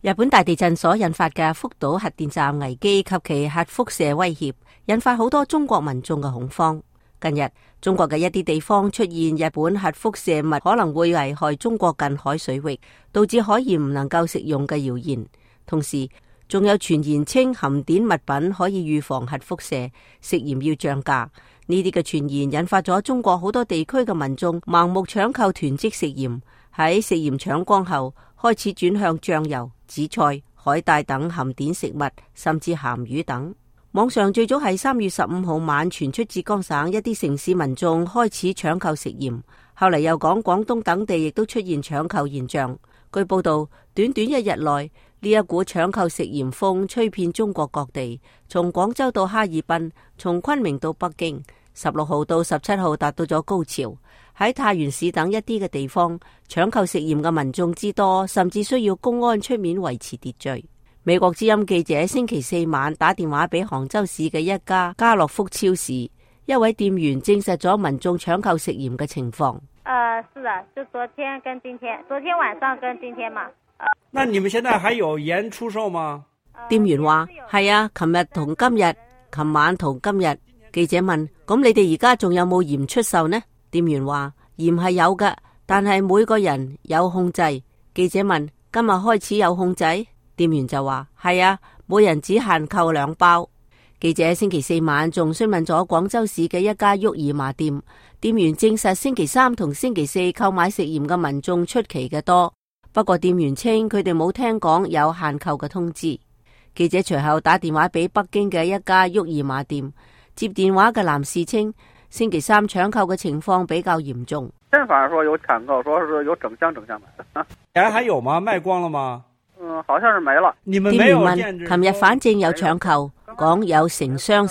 日本大地震所引發嘅福島核電站危機及其核輻射威脅，引發好多中國民眾嘅恐慌。近日，中國嘅一啲地方出現日本核輻射物可能會危害中國近海水域，導致海鹽唔能夠食用嘅謠言。同時，仲有傳言稱含碘物品可以預防核輻射，食鹽要漲價。呢啲嘅傳言引發咗中國好多地區嘅民眾盲目搶購囤積食鹽，喺食鹽搶光後，開始轉向醬油、紫菜、海帶等含碘食物，甚至鹹魚等。網上最早係3月15號晚傳出浙江省一啲城市民眾開始搶購食鹽，後嚟又講廣東等地亦都出現搶購現象。據報道，短短一日內，呢一股搶購食鹽風吹遍中國各地，從廣州到哈爾濱，從昆明到北京，16號到17號達到咗高潮。喺太原市等一啲嘅地方，搶購食鹽嘅民眾之多，甚至需要公安出面維持秩序。美國之音記者星期四晚打電話俾杭州市嘅一家家樂福超市，一位店員證實咗民眾搶購食鹽嘅情況。是的，就昨天跟今天，昨天晚上跟今天嘛。那你們現在還有鹽出售嗎？店員話係啊，琴日同今日，琴晚同今日。記者問：咁你哋而家仲有冇鹽出售呢？店員話：鹽係有㗎，但係每個人有控制。記者問：今日開始有控制？店員就話：係啊，每人只限購2包。記者星期四晚仲詢問咗廣州市嘅一家沃爾瑪店，店員證實星期三同星期四購買食鹽嘅民眾出奇嘅多。不過店員稱佢哋冇聽講有限購嘅通知。記者隨後打電話俾北京嘅一家沃爾瑪店，接電話嘅男士稱星期三搶購嘅情況比較嚴重。反正說有搶購，說是有整箱買的。鹽還有嗎？賣光了嗎？好像是沒了。你們沒有限制？店員問：琴日反正有搶購，講有成箱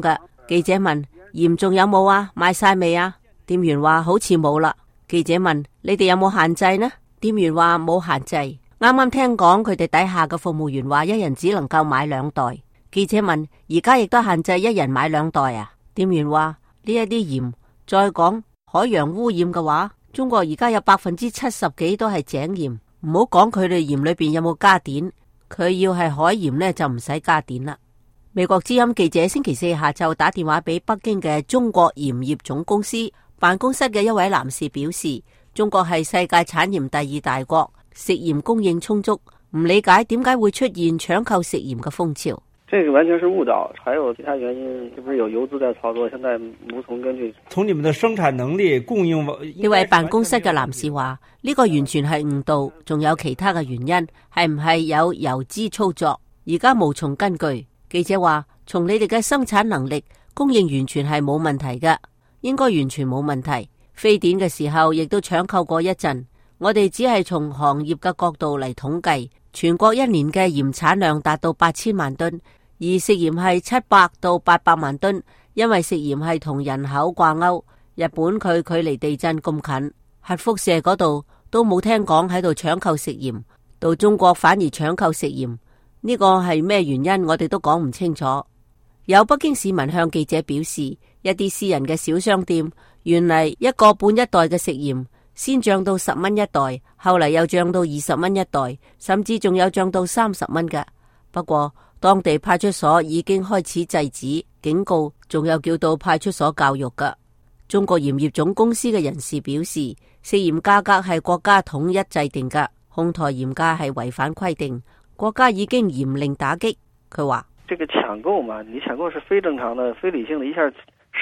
嘅。記者問：鹽仲有冇啊？賣晒未啊？店員話好似冇啦。記者問：你哋有冇限制呢？店員話冇限制。啱啱聽講佢哋底下嘅服務員話一人只能夠買2袋。記者問：而家亦都限制一人買2袋啊？店員話：呢一啲鹽，再講海洋污染嘅話，中國而家有70%幾都係井鹽。唔好講佢哋鹽裏邊有冇加碘，佢要係海鹽呢，就唔使加碘啦。美國之音記者星期四下晝打電話俾北京嘅中國鹽業總公司辦公室嘅一位男士表示，中國係世界產鹽第2大國，食鹽供應充足，唔理解點解會出現搶購食鹽嘅風潮。這個完全是誤導，還有其他原因，是不是有游資在操作？現在無從根據。從你們的生產能力、供應，呢位辦公室嘅男士話：呢個完全係誤導，仲有其他嘅原因，係唔係有游資操作？而家無從根據。記者話：從你哋嘅生產能力、供應完全係冇問題嘅，應該完全冇問題。非典嘅時候亦都搶購過一陣，我哋只係從行業嘅角度嚟統計，全國一年嘅鹽產量達到8000萬噸。而食鹽係700到800萬噸，因為食鹽係同人口掛鈎。日本佢距離地震咁近，核輻射嗰度都冇聽講喺度搶購食鹽，到中國反而搶購食鹽，呢個係咩原因？我哋都講唔清楚。有北京市民向記者表示，一啲私人嘅小商店，原嚟1個半一袋嘅食鹽，先漲到10蚊一袋，後嚟又漲到20蚊一袋，甚至仲有漲到30蚊嘅。不過，當地派出所已經開始制止、警告，仲有叫到派出所教育㗎。中國鹽業總公司嘅人士表示，食鹽價格係國家統一制定㗎，哄抬鹽價係違反規定，國家已經嚴令打擊。佢話：這個搶購嘛，你搶購是非正常的、非理性的，一下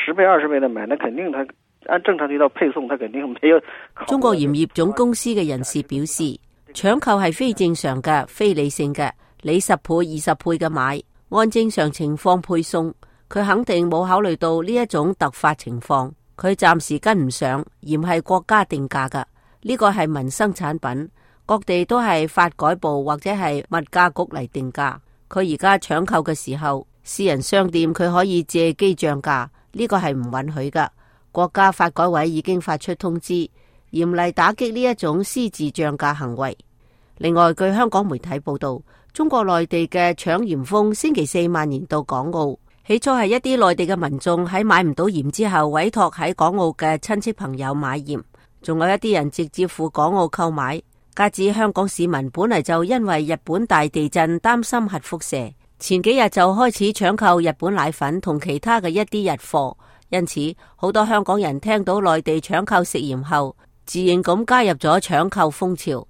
10倍、20倍的買，那肯定他按正常渠道配送，他肯定沒有。中國鹽業總公司嘅人士表示，搶購係非正常嘅、非理性嘅。你10倍、20倍嘅買，按正常情況配送，佢肯定冇考慮到呢一種突發情況，佢暫時跟唔上。鹽係國家定價㗎，呢個係民生產品，各地都係發改部或者係物價局嚟定價。佢而家搶購嘅時候，私人商店佢可以借機漲價，呢個係唔允許㗎。國家發改委已經發出通知，嚴厲打擊呢一種私自漲價行為。另外，據香港媒體報道，中國內地嘅搶鹽風星期四蔓延到港澳。起初係一啲內地嘅民眾喺買唔到鹽之後，委託喺港澳嘅親戚朋友買鹽，仲有一啲人直接赴港澳購買。加之香港市民本嚟就因為日本大地震擔心核輻射，前幾日就開始搶購日本奶粉同其他嘅一啲日貨，因此好多香港人聽到內地搶購食鹽後，自然咁加入咗搶購風潮。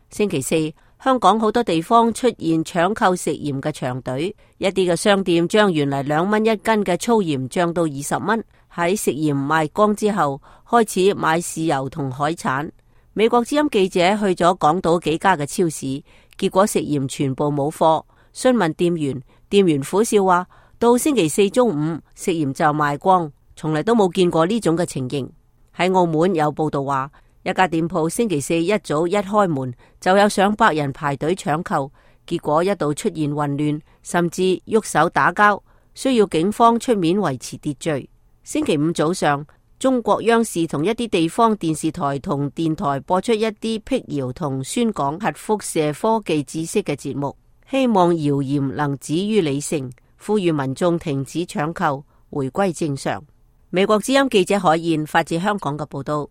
星期四，香港好多地方出現搶購食鹽嘅長隊，一啲嘅商店將原嚟2蚊一斤嘅粗鹽漲到20蚊。喺食鹽賣光之後，開始買豉油同海產。美國之音記者去咗港島幾家嘅超市，結果食鹽全部冇貨。詢問店員，店員苦笑話，到星期四中午食鹽就賣光，從嚟都冇見過呢種嘅情形。喺澳門有報道話，一家店鋪星期四一早一開門就有上百人排隊搶購，結果一度出現混亂，甚至喐手打交，需要警方出面維持秩序。星期五早上，中國央視同一啲地方電視台同電台播出一啲闢謠同宣講核輻射科技知識嘅節目，希望謠言能止於理性，呼籲民眾停止搶購，回歸正常。美國之音記者海燕發自香港嘅報道。